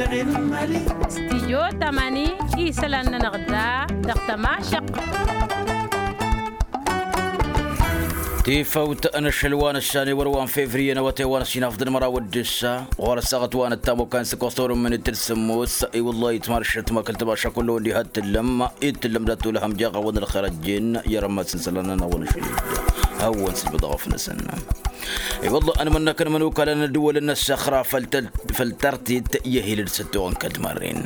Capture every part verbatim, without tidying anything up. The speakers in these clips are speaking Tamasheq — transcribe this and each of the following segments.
Studyo tamani isălan-nănăɣ da dăɣ-tămašăɣt. Tifăwt n-ašăl wa n-ăssan i-wăr wa n-fevriye n-awătay wa n-ăssinaf d-ănmăraw d-ǝssa ɣur-ăssaɣăt wa n-ăttamukkan s-ăkkoẓ tawrǝmmǝn d-tǝssǝmmos. I-wăllah itmašăt ma kăl-tămaša kull-ăwăn diha t-tǝllăm, i-tǝllăm dat-olăhăm jeɣ a-wen ălxer ăjjeen i-arămmas n-isălan-nănăɣ wa n-ašăl. Hawăn-sǝlmǝdăɣ afnăsăn. I-wăllah ănmănnăkăn imănukalăn n-ăddǝwăl-năssăxra făll-tăl făll-tărtit i-ehilăd s-ăttoɣăn kăl-timarren.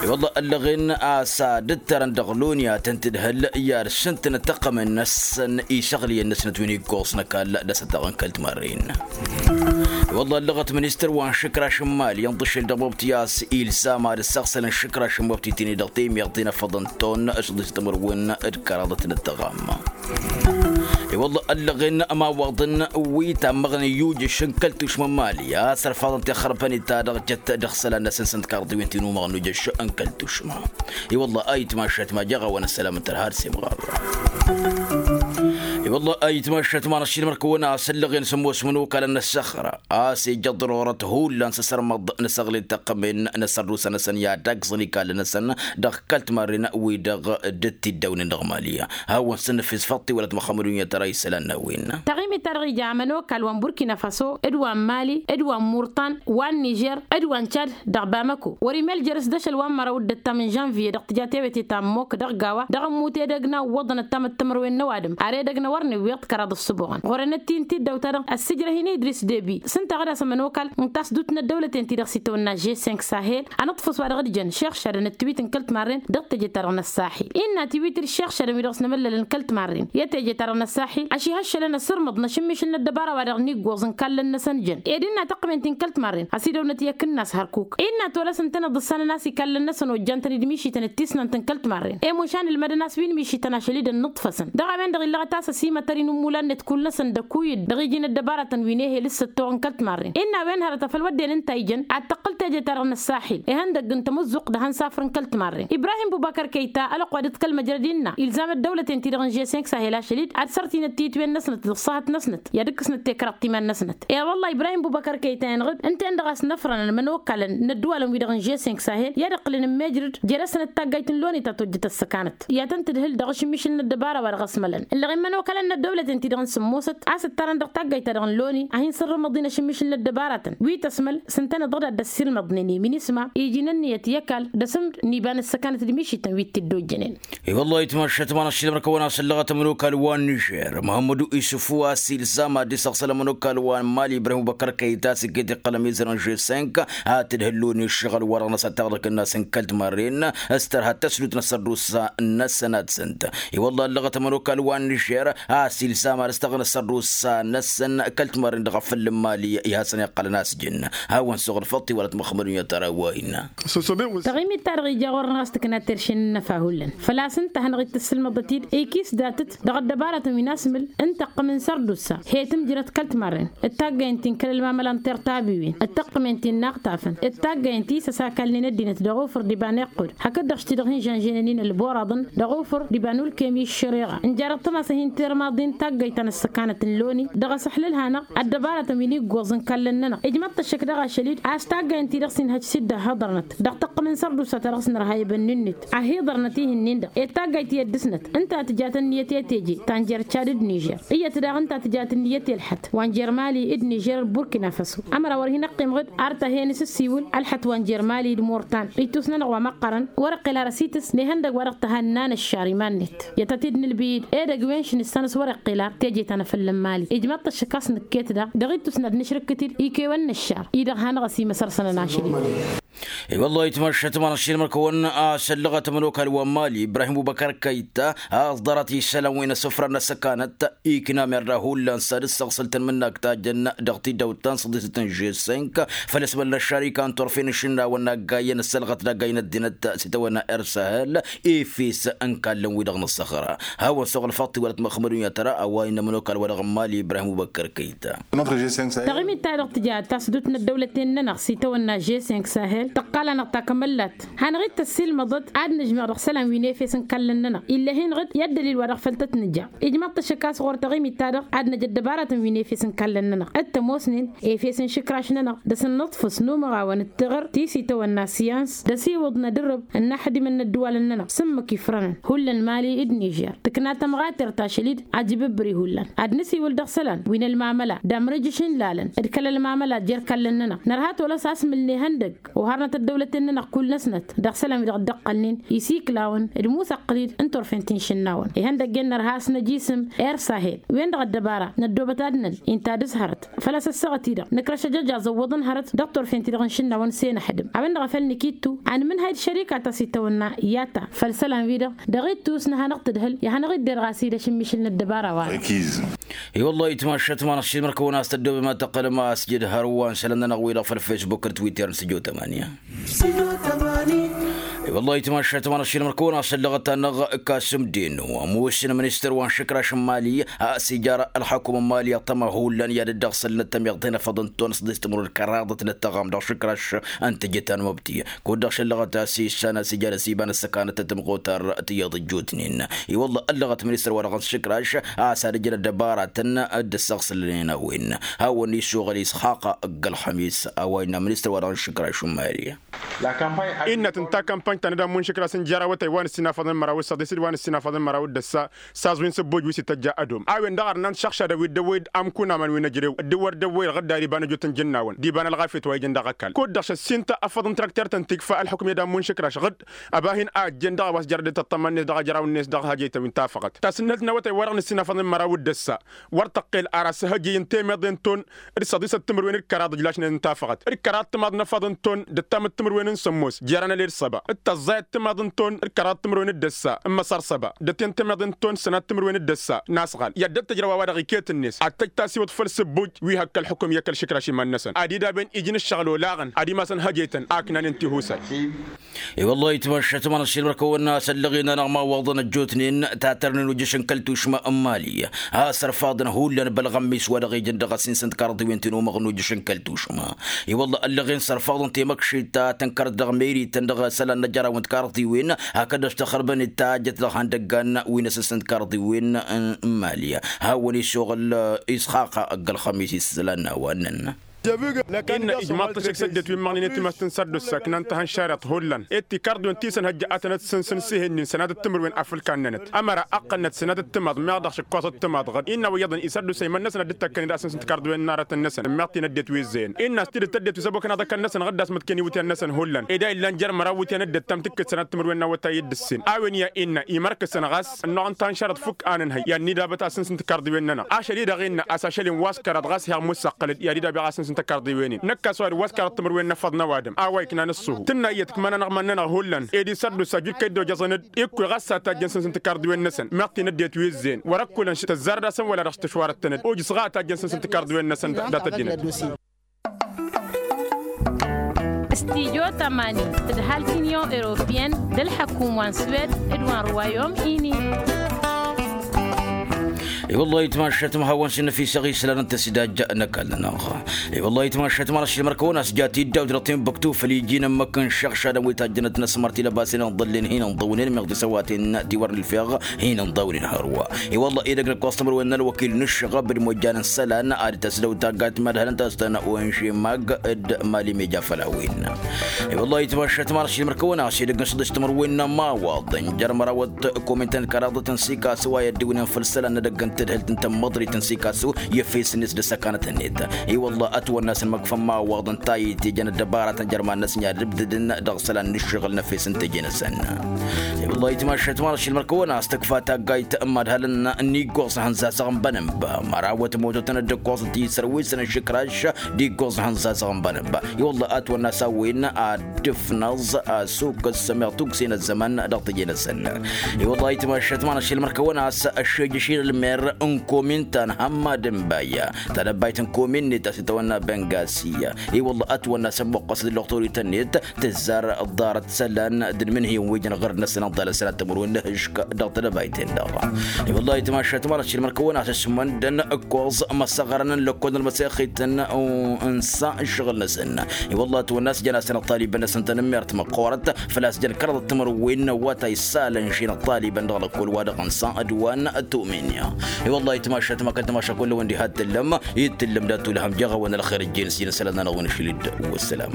I-wăllah ăllăɣen a-s ad-ǝttărăn dăɣ-loni ad-tăn-tǝdhǝl i-ad-sǝntǝnăt tăqqămen-năsăn isăɣliyăn-năsnăt wi n-iggoẓ n-ăkall d-asătăɣăn kăl-timarren. I-wăllah ăllăɣăt ministăr wa n-išǝkraš n-imali ănḍǝšel dăɣ-mobti a-s ilzam ad-ăssăɣsălăn išǝkraš n-mobti tini-dăɣ temiɣt inăfăḍăn ton s-ăḍisăt ămărwen d-kăraḍăt n-ăttăɣam. I-wălla ăllăɣen ămawaḍăn wi tammăɣnen yujǝš n-kăl-tušma n-mali a-s ărfaḍăn tixărbănit ta dăɣ-jăt dăɣ-isălan-năsăn s-ǝnta karḍiwen ti n-umăɣ n-ujǝš n-kăl-tušma. I-wălla a itmašat ma jeɣ a-wa n-ăssălam n-tărha ad-semɣar. I-wălla a itmašat ma n-ăššilmăr-kăwăn a-s ăllăɣen s-ămoos imănokalăn n-ăssăxra a-s ija ḍărorăt hullan s-asărmăḍ n-asăɣlel tăqqămen n-asărdusa-năsăn i-ad-agẓăn ikallăn-năsăn dăɣ-kăl-timarren-wi-dăɣ dd-tiddawnen dăɣ-mali. Hawăn-săn nǝfis făṭṭi wăla timăxxămădun i-ad-tăra isălan n-a-wen. Taɣimit-ta-dăɣ ija ămănokal wa n-burkina faso d-wa n-mali d-wa n-murtan wa n-nižer d-wa n-čad dăɣ-bamako wăr-imel jer-s d-ašăl wa n-măraw d-ăttam n-žănviye dăɣ-tija tewete ta n-mok dăɣ-gawa dăɣ-ămmut edăgg n-awwăḍăn ăttam d-timărwen n-ăwadǝm ar edăgg n-ewăr n-ewweḍ kăraḍ ǝssǝboɣăn ɣur-enăt-i n-tiddawt-ta-dăɣ ăssijrăh-in idris debi s-ǝnta a ɣǝd-as ămănokal n-tasdut n-ăddăwlăten-ti-dăɣ s-itawănna žessenk sahel. Anǝṭṭǝfăs wa dăɣ-dd-jăn šeɣšadăn ătwit n-kăl-timarren dăɣ-teje-ta-dăɣ n-ăssaḥil innă tiwit d-iššeɣšadăn wi dăɣ-s n-emăllălăn kăl-timarren i-teje-ta-dăɣ n-ăssaḥil. Ašihăššălăn ăsărmăḍ n-ašǝmmišǝl n-ăddăbara wa dăɣ-niggoẓ n-kallăn-năsăn jăn ed innă tăqqǝmen ti n-kăl-timarren ăsidăwnăt i-akǝnnas hărkuk innă tolăs ǝntăneḍ ǝssanăn a-s ikallăn-năsăn ojjan-tăn-dd mišităn d-tisnant n-kăl-timarren i-mušan ǝlmădăn a-s wi n-mišităn ašăl-i d-ănnǝṭṭfăsăn dăɣ-a-wen-dăɣ illăɣăt a-s ăsimătăr-in n-imulannăt kull-năsăn d-ăkuyǝd dăɣ-iji n-ăddăbaratăn wi n-ehel s-ăttoɣ n-kăl-timarren innă a-wen hărăt afăl wădden ǝnta a ijăn ad-tăqqǝl teje-ta-dăɣ n-ăssaḥil ihăndăgg n-tamǝzzuɣt d-ahăn safr n-kăl-timarren ibrahim bubăkăr kăyta ălwăqq wa dd-kăl-măjrăd innă ilzam ăddăwlăten-ti-dăɣ n-žessenk sahel ašăl-dd ad-sărtinăt titwen-năsnăt d-ăṣṣahăt-năsnăt i-ad-ǝkkǝsnăt tekrăḍt iman-năsnăt. I-wălla ibrahim bubăkăr kăyta inɣǝd ǝnta-en-dăɣ a-s năfrănăn ămănokalăn n-ădduwalăn-wi-dăɣ n-žessenk sahel i-ad-ǝqqǝlăn n-mejrǝd jer-asnăt taggayt n-loni ta tojjăt ăssăkanăt i-ad-tăn-tǝdhǝl dăɣ-ašǝmmišǝl n-ăddăbara wa dăɣ-ăsmălăn ǝllăɣen mănokalăn n-ăddăwlăten-ti-dăɣ n-sǝmmosăt a-s ǝttarăn dăɣ-taggayt-ta-dăɣ n-loni a hin-sărrǝmăḍ-in ašǝmmišǝl n-ăddăbaratăn wi tăsmăl s-ǝntăneḍ-dăɣ d-ad-dd-ăssiilmăḍnen i-minisma iji n-ǝnniyăt i-ăkall d-asǝmd n-iba n-ăssăkanăt d-mišităn wi t-dd-ojjănen. I-wăllah itmašat ma n-ašilmăr-kăwăn-asăllăɣăt ămănokal wa n-nižer muhămmădu isǝfu a-s ilzam ad-dd-isăɣsăl ămănokal wa n-mali ibrahim ubăkăr kăyta s-iket iqqălăm izăr n-žessenk ad-tǝdhǝllun i-ǝššăɣǝl-wa-dăɣ n-asăttaɣ dăɣ-kǝnnas n-kăl-timarren s-tărha tăslut n-asărdusa-năsăn ad-sǝnt. I-wălla ăllăɣăt ămănokal wa n-nižer a-s ilzam ad-ăstăɣnă asărdusa-năsăn kăl-timarren dăɣ-afăl n-mali i-hasăn-iqqălăn a-s jǝnna hawăn-suɣ ălfăṭṭ i-wălăt măxmădun i-ad-tăra wa innă. Taɣimit-ta-dăɣ ija ɣur-năɣ a-s tǝkna terše n-inǝfa hullan făl-a-s ǝnta a hanăɣ-dd-tǝssǝlmăḍăt-dd ikis datăt dăɣ-ăddăbarătăn wi n-asmǝl n-tăqqǝm n-sărdusa he-tǝmjrăt kăl-timarren d-taggăyăn ti n-kăl-ălmamăla n-tertabiwen d-tăqqǝmen ti n-inaɣtafăn d-taggăyăn ti s-ăsakalnen ăddinăt dăɣ-ufǝr d-iba n-iqqud hakd-dăɣ š-ti-dăɣ hin-žănžăynen ălboraḍăn dăɣ-ufǝr d-iba n-ulkem i-ǝššăreɣa ǝnjarăt tămas a hin-termaḍ-in taggăyt ta n-ăssăkanăt n-loni dăɣ-asăhlăl-hanăɣ ăddăbarătăn wi n-iggoẓ n-kallăn-nănăɣ ijmăḍ-t ăššăk daɣ ašăl-dd a-s taggăyăn-ti-dăɣ s-inhăj s-dd-ăhhăḍărnăt dăɣ-tăqqǝm n-sărdusa ta dăɣ-s nărha i-bănni-net ăhhiḍărnăt ihǝnnin-dăɣ ed taggayt i-ăddǝsnăt ǝnta tǝjat ǝnniyăt i-teje ta n-jer-čad d-nižer iyyăt daɣ ǝnta tǝjat ǝnniyăt i-ălxăt wa n-jer-mali d-nižer d-burkina faso ămăra wăr hin-ăqqimăɣ-dd ar tăhhen s-ǝssiwǝl ălxăt wa n-jer-mali d-murtan ittus-nănăɣ wa măqqărăn wăr-iqqel ar ăsitǝs n-ihăndăg wa dăɣ-tăhanna n-ăššar iman-net i-ad-tăt-dd-nǝlbǝy-dd edăgg wen šăn issan s-wăr-iqqel ar teje ta n-afăl n-mali ijmaḍ-t ăššăk a-s nǝkket daɣ dăɣ-ittus n-ad-nǝšrǝkkǝt-dd ikewen n-ăššar-i-dăɣ hanăɣ-ăsimăsăr săn ănašăl-i. I-wăllah itmăššăt ma n-ašilmăr-kăwăn a-s ăllăɣăt ămănokal wa n-mali ibrahim bubăkăr kăyta a-s ḍarăt isălan wi n-asǝfra n-ăssăkanăt ikna merda hullan s-ad-dd-săɣsăl tănmǝnnak ta jăn dăɣ-tidawt ta n-săḍisăt n-žessenk făll-ăsmăl n-ăššar ikan turfen n-išǝnnawăn n-aggayyăn ăssălɣăt d-aggay n-ăddinăt s-itawănna ersăhăl ifis n-kallăn-wi-dăɣ n-ăssăxra. Hawăn-suɣ ălfăṭṭ iwălăt măxmăd. Dunya tăra a-wa innă ămănokal-wa-dăɣ n-mali ibrahim ubăkkăr kăyta. Taɣimit-ta-dăɣ tǝja tasdut n-ăddăwlăten-nănăɣ s-itawănna žeseng sahel tăqqal-anăɣ takămăllat. Hanăɣ-dd tăssilmăḍăt ad-nǝžmeɣ dăɣ-isălan wi n-efes n-ikallăn-nănăɣ ill'-e-hin dăɣ-dd-ăddălil wa dăɣ-făl tăt-nǝja. Ijmaḍ-t ăššăk a-s ɣur-taɣimit-ta-dăɣ ad-năj ăddăbaratăn wi n-efes n-ikallăn-nănăɣ dd-tămoosnen efes n-išǝkraš-nănăɣ d-asǝnnǝḍfǝs n-umăɣawăn d-tiɣǝr ti s-itawănna siyans d-asiwǝḍ n-adǝrrǝb n-inaxdimăn n-ăddǝwalăn-nănăɣ s-ǝmmǝk ifrănăn. Hullan mali d-nižer tǝkna tămɣater tašăl-dd ajǝbǝbbǝri hullan. Ad-nǝsiwǝl dăɣ-isălan wi n-ălmamăla d-amrǝjǝš n-ilalăn d-kăl-ălmamăla jer-ikallăn-nănăɣ nărha tolăs a-s mǝlne ihăndăgg oharnăt ăddăwlăten-nănăɣ kull-năsnăt dăɣ-isălan wi dăɣ-dd-ăqqălnen isiklawăn d-imusăqqǝl-dd n-turfen ti n-išǝnnawăn ihăndăgg-en nărha a-s năj isǝm. Ersahel wen-dăɣ ăddăbara năddoobăt ad-năn inta d-ǝzhărăt făl-a-s ăssaɣăt-i-dăɣ nǝkrăš ăjăj azăwwăḍăn hărăt dăɣ-turfen-ti-dăɣ n-išǝnnawăn s-e-năxdǝm a-wen-dăɣ a făl nǝkittu anmǝnhăy d-šărika ta s-itawănna i-ad-ta făll-isălan-wi-dăɣ dăɣ-ittus n-ad-hanăɣ-tǝdhǝl i-ad-hanăɣ-dd-irɣas idăš n-mišǝl n-ăddăbara-wa-dăɣ. I-wăllah itmašat ma n-aššil mărkăwăn a-s tăddoobem ad-tăqqălăm asjăd hărwa n-isălan-nănăɣ-wi-dăɣ făll-fesbuk d-twitter n-sǝjo tămani. I-wăllah itmašat ma n-aššil mărkăwăn a-s ăllăɣăt-anăɣ kasǝm dinu ămoos n-ministăr wa n-išǝkraš n-mali a-s ija ălxakum n-mali ăṭṭăma hullan i-ad-dd-ăɣsălnăt tămiḍt tinăfăḍăn-tăn s-dd-istămrăwăn kăraḍăt n-ăttăɣam dăɣ-išǝkraš n-tijǝt ta n-măbti. Kud-dăɣ šăllăɣăt a-s issan a-s ijan ăsiba n-ăssăkanăt tătmăɣotar tiyyăḍ ǝjjootnen. I-wălla ăllăɣăt ministăr-wa-dăɣ n-išǝkraš a-s ad-ǝjǝn ăddăbaratăn dd-ăssăɣsǝlnen a-wen hawăn-issoɣăl isxaqa ăgg-ălxămis a-wa innă ministăr-wa-dăɣ n-išǝkraš n-mali. Innăt ǝnta kampany ta n-ad-ămmu n-išǝkraš n-jer-awătay wa n-ǝssinafăḍăn măraw d-săḍis d-wa n-ǝssinafăḍăn măraw d-ăssa. S-aẓwin s-ǝbbuj wi s-ităjja ădom a-wen-dăɣ arnan šăɣšadăn wi dd-ăwwăy d-amkun aman wi n-ejrew dd-wăr dd-ăwwăy dăɣ-dd-ariba n-ejut n-jǝnnawăn d-iba n-ălɣafyăt wa ijăn dăɣ-ăkall kud-dăɣ šăssin-ta ăffăḍ n-trakter-tăn tikfa ălḥukm i-ad-ămmu n-išǝkraš ɣǝd. Ăba hin-a ăjjeen dăɣ-a-wa s-jărăd d-tăṭṭămma-net dăɣ-ajraw-net dăɣ-hajăytăn wi n-tafăɣăt tasǝnnălt n-awătay wa-dăɣ n-ǝssinafăḍăn măraw d-ăssa. Wăr tăqqel ara s-ehăjjăy n-temeḍe n-ton d-săḍisăt timǝrwen d-kăraḍ ǝjlašnen n-tafăɣăt d-kăraḍ timaḍ n-efăḍ n-ton d-ăttam d-timǝrwen n-sămmos jer-anăled săba d-tăẓẓayăt timaḍ n-ton d-kăraḍ timǝrwen d-ăssa n-măsăr săba d-ăten temeḍe n-ton sănat timǝrwen d-ăssa n-asɣal i-ad-dd-tăjrăw a-wa-dăɣ iket-net ad-tăj tasiwǝḍ făll-sǝbbuj wi hăkk ălxukǝm i-kăl-išǝkraš iman-năsăn ad-dd-aben ijǝn ǝššăɣǝl olaɣăn ad-imasăn hăjăytăn a ǝknanen tihusay. I-wăllah itmašat ma n-aššil mărkăwăn a-s ăllăɣen-anăɣ imawaḍăn ăjjootnen tatărnen ujǝš n-kăl-tušma n-mali a-s ărfaḍăn hullan bălɣămmis wa dăɣ-ijăn dăɣ-asǝns n-tikarḍiwen ti n-umăɣ n-ujǝš n-kăl-tušma. I-wăllah ăllăɣen s-ărfaḍăn temăkšit ta tǝnkărăt dăɣ-merităn dăɣ-isălan n-ajăraw n-tikarḍiwen hakd ăštăxărbăn-dd tajjăt dăɣ-ihăndăggan wi n-asǝns n-tikarḍiwen n-mali. Hawăn-issoɣăl isxaqa ăgg-ălxămis islan n-a-wa ǝnnăn. Innă ijmaḍ-t ăššăk s-ăddinăt wi n-măɣnen i-timast n-sărdus ăknan tihănšareḍt hullan ed tikarḍiwen ti sănhăjja ad-tănăt-sǝnsǝn s-ihǝnnin sănatăt timǝrwen afǝlkan-nănăt ămăra ăqqălnăt sănatăt timaḍ meɣ dăɣ-šǝkkoẓăt timaḍ ɣǝd innă wa iyyăḍăn isărdus a iman-năsăn ad-dd-tăkkănen asǝns n-tikarḍiwen n-aratăn-năsăn ǝmmeɣ-t-in ăddinăt wi ǝzzeyăn. Innă a-s tidǝt ăddinăt wi s-ăbokăn aḍăkăn-năsăn ɣǝddas măḍken iwǝtyan-năsăn hullan ed a illan jer-măraw iwǝtyan dd-ăttam tǝkkǝd sănatăt timǝrwen n-awătay d-ǝssin a-wen ya innă imărkǝsăn ɣas ănnuɣăn tanšarăt fukk a nǝnhăy i-ad-nidabăt asǝns n-tikarḍiwen-nănăɣ ašăl-i-dăɣ innă a-s ašăl-in wa s-kăraḍ ɣas heɣ mussăqqăl-dd i-ad-idabeɣ asǝns n-tikarḍiwen-in năkk a-s wa-dăɣ wa s-kăraḍ timǝrwen n-efăḍ n-ăwadǝm a-wa iknan ǝṣṣuhu tǝnna iyyăt ǝkmănăn aɣman-nănăɣ hullan ed isărdusa aju d-kăy-dd-ojăẓăn-dd ikk wi ɣas s-ad-tajjăn s-asǝns n-tikarḍiwen-năsăn meɣ t-in-ăddinăt wi ǝzzeyăn wăr-ăkkulăn tăzzarăd-asăn wăla dăɣ-s tǝšwarăt-tăn-dd ojǝs ɣa ad-tajjăn s-asǝns n-tikarḍiwen-năsăn. Dat-ăddinăt. Studio tămani tǝdhal t-inyon europiyăn d-ălḥăkum wa n-swed d-wa n-ruwayom ini. I-wăllah itmašat ma hawăn-s inăfisăɣ islan n-tăsidajja n-ăkall-nănăɣ. I-wăllah itmašat ma n-ašilmăr kăwăn-as jat iddaw dăɣ-tinbuktu făl iji n-ămmăk n-išăɣšadăn wi tajjănăt n-asmăr ti lăbasen n-iḍăllen hin-ǝnḍăwnen meɣ tisăwaten ti wăr nǝlfeɣ hin-ǝnḍăwnen hărwa. I-wălla edăgg n-ǝkkoẓ timǝrwen n-ălwăkil n-ǝššăɣăb d-imojjan n-isălan ad-tăsdăw taggayt n-imadhălăn ta s-tăn-oenže mag d-mali meja făll-a-wen. I-wălla itmašat ma n-ašilmăr kăwăn-as edăgg n-săḍis timǝrwen n-ămawaḍăn jer-mărawăt komintăn kăraḍăt n-sikasu a i-ăddiwnen făll-isălan n-edăgg n-tadhǝlt n-tămmăḍrit n-sikasu i-efes-net d-ăssăkanăt-net. I-wălla ătwănn'-asăn măkfăn imawaḍăn ta itejăn ăddăbaratăn jer-iman-năsăn i-ad-ǝbdǝdăn dăɣ-isălan n-ǝššăɣǝl n-efes n-teje-năsăn. I-wălla itmašat ma n-ašilmăr kăwăn-as tǝkfa taggayt n-imadhălăn n-iggoẓ ihănzazăɣ n-bănămb mărawăt mototăn dd-ǝkkoẓ ti isărwisăn ǝššǝkraš d-iggoẓ ihănzazăɣ n-bănămb. I-wălla ătwănn'-as a-wen ad-dd-ǝfnăẓ asukǝs meɣ tukse n-ăzzăman dăɣ-teje-năsăn. I-wălla itmašat ma n-ašilmăr kăwăn-as ăššejăš-in ălmer n-komin ta n-hammad n-baya. Tanăbayt n-komin-net a-s itawănna bengasi. I-wălla ătwănna s-ămmoqqăs d-lăɣtorităn-net tǝzzar ḍarăt isălan d-inmǝnhǝyăn wi jăn ɣur-năsăn ănḍalăn sănat timǝrwen n-ehǝšk dăɣ-tedăbayt-en-dăɣ. I-wălla itmašat mărăt šilmăn kăwăn-asǝsmăndăn ǝkkoẓ măssăɣărăn n-lăkkol n-ălmăsexit n-sa n-iššăɣǝl-năsăn. I-wălla ătwănna a-s jăn-asăn ăṭṭalibăn-năsăn tanămmert măqqoorăt făl-a-s jăn kăraḍăt timǝrwen wa ta issalăn ši n-ăṭṭalibăn dăɣ-lăkkol wa-dăɣ n-sa d-wa n-tumin. I-wălla itmašat măkăn tamaša kull-wăn diha t-tǝllăm i-t-tǝllăm dat-tulhăm jeɣ-awăn ălxer ǝjjen s-jăn isălan-nănăɣ wi n-ašăl-dd. Wăssalam.